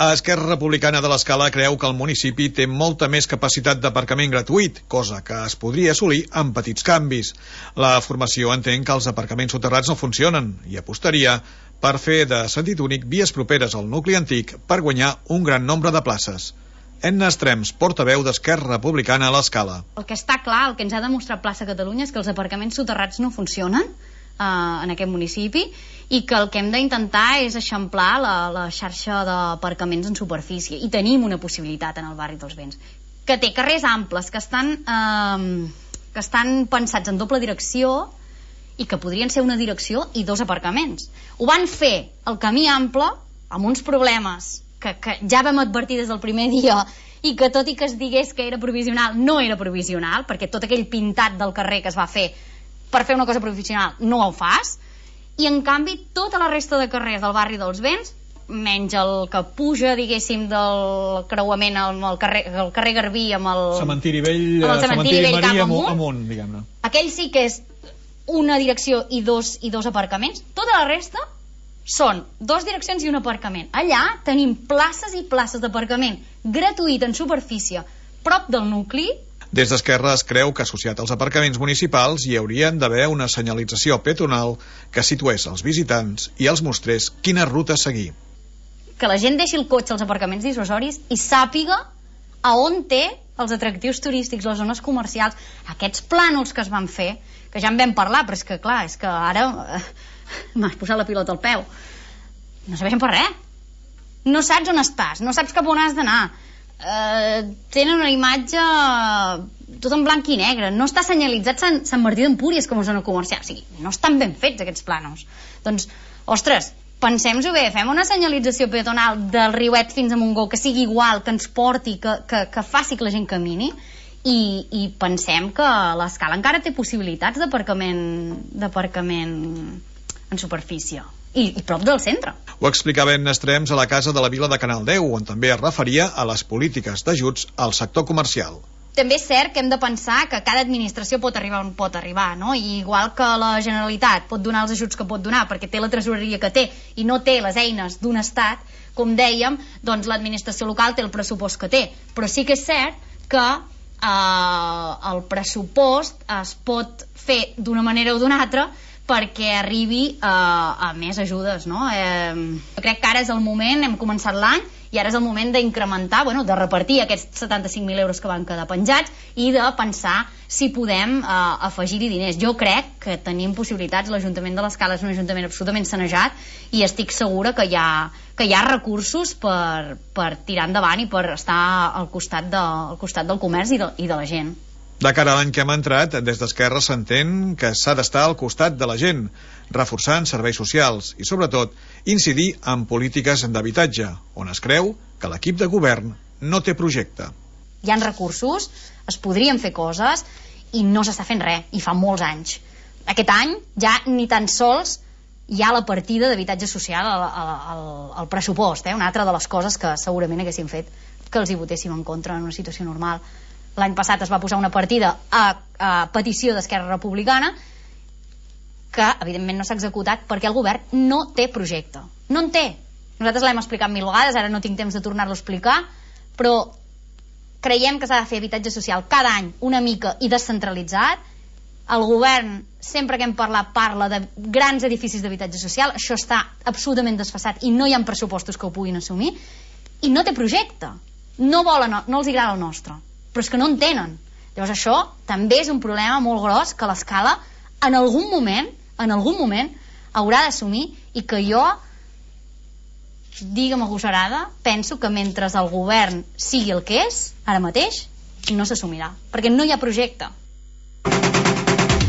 Esquerra Republicana de l'Escala creu que el municipi té molta més capacitat d'aparcament gratuït, cosa que es podria assolir amb petits canvis. La formació entén que els aparcaments soterrats no funcionen i apostaria per fer de sentit únic vies properes al nucli antic per guanyar un gran nombre de places. Edna Estrems, portaveu d'Esquerra Republicana a l'Escala. El que està clar, el que ens ha demostrat Plaça Catalunya és que els aparcaments soterrats no funcionen en aquest municipi i que el que hem d'intentar és eixamplar la xarxa d'aparcaments en superfície, i tenim una possibilitat en el barri dels Vents, que té carrers amples que estan pensats en doble direcció i que podrien ser una direcció i dos aparcaments. Ho van fer el camí ample amb uns problemes que ja vam advertir des del primer dia, i que tot i que es digués que era provisional, no era provisional, perquè tot aquell pintat del carrer que es va fer per fer una cosa provisional no ho fas, i en canvi tota la resta de carrers del barri dels Vents, menys el que puja, diguéssim, del creuament amb el carrer Garbí amb el Cementiri Vell, Cementiri Vell cap amunt, diguem-ne. Aquell sí que és una direcció i dos aparcaments. Tota la resta són dues direccions i un aparcament. Allà tenim places i places d'aparcament gratuït en superfície prop del nucli. Des d'Esquerra es creu que associat als aparcaments municipals hi haurien d'haver una senyalització peatonal que situés als visitants i els mostrés quina ruta seguir. Que la gent deixi el cotxe als aparcaments dissuasoris i sàpiga a on té els atractius turístics, les zones comercials, aquests plànols que es van fer, que ja en vam parlar, però és que clar, és que ara m'has posat la pilota al peu. No serveixen per res. No saps on estàs, no saps cap on has d'anar. Tenen una imatge tot en blanc i negre, no està senyalitzat Sant Martí d'Empúries com a zona comercial, o sigui, no estan ben fets aquests plànols. Doncs, ostres, pensem-ho bé, fem una senyalització peatonal del Riuet fins a Montgó que sigui igual, que ens porti, que faci que la gent camini, i pensem que l'Escala encara té possibilitats d'aparcament en superfície i prop del centre. Ho explicava Edna Estrems a la Casa de la Vila de Canal 10, on també es referia a les polítiques d'ajuts al sector comercial. També és cert que hem de pensar que cada administració pot arribar on pot arribar, no? I igual que la Generalitat pot donar els ajuts que pot donar perquè té la tresoreria que té i no té les eines d'un estat, com dèiem, doncs l'administració local té el pressupost que té. Però sí que és cert que el pressupost es pot fer d'una manera o d'una altra perquè arribi a més ajudes, no? Jo crec que ara és el moment, hem començat l'any, i ara és el moment d'incrementar, de repartir aquests 75.000 euros que van quedar penjats i de pensar si podem afegir-hi diners. Jo crec que tenim possibilitats, l'Ajuntament de l'Escala és un ajuntament absolutament sanejat i estic segura que hi ha recursos per tirar endavant i per estar al costat del comerç i de la gent. De cara a l'any que hem entrat, des d'Esquerra s'entén que s'ha d'estar al costat de la gent, reforçant serveis socials i, sobretot, incidir en polítiques d'habitatge, on es creu que l'equip de govern no té projecte. Hi ha recursos, es podrien fer coses i no s'està fent res, i fa molts anys. Aquest any ja ni tan sols hi ha la partida d'habitatge social al pressupost, una altra de les coses que segurament haguéssim fet que els hi votéssim en contra en una situació normal. L'any passat es va posar una partida a petició d'Esquerra Republicana que evidentment no s'ha executat perquè el govern no té projecte. No en té. Nosaltres l'hem explicat 1000 vegades, ara no tinc temps de tornar-lo a explicar, però creiem que s'ha de fer habitatge social cada any una mica i descentralitzat. El govern, sempre que hem parlat, parla de grans edificis d'habitatge social. Això està absolutament desfasat i no hi ha pressupostos que ho puguin assumir, i no té projecte. No els agrada el nostre, però és que no en tenen. Llavors això també és un problema molt gros que l'Escala en algun moment haurà d'assumir, i que jo, digue'm agosarada, penso que mentre el govern sigui el que és ara mateix no s'assumirà, perquè no hi ha projecte.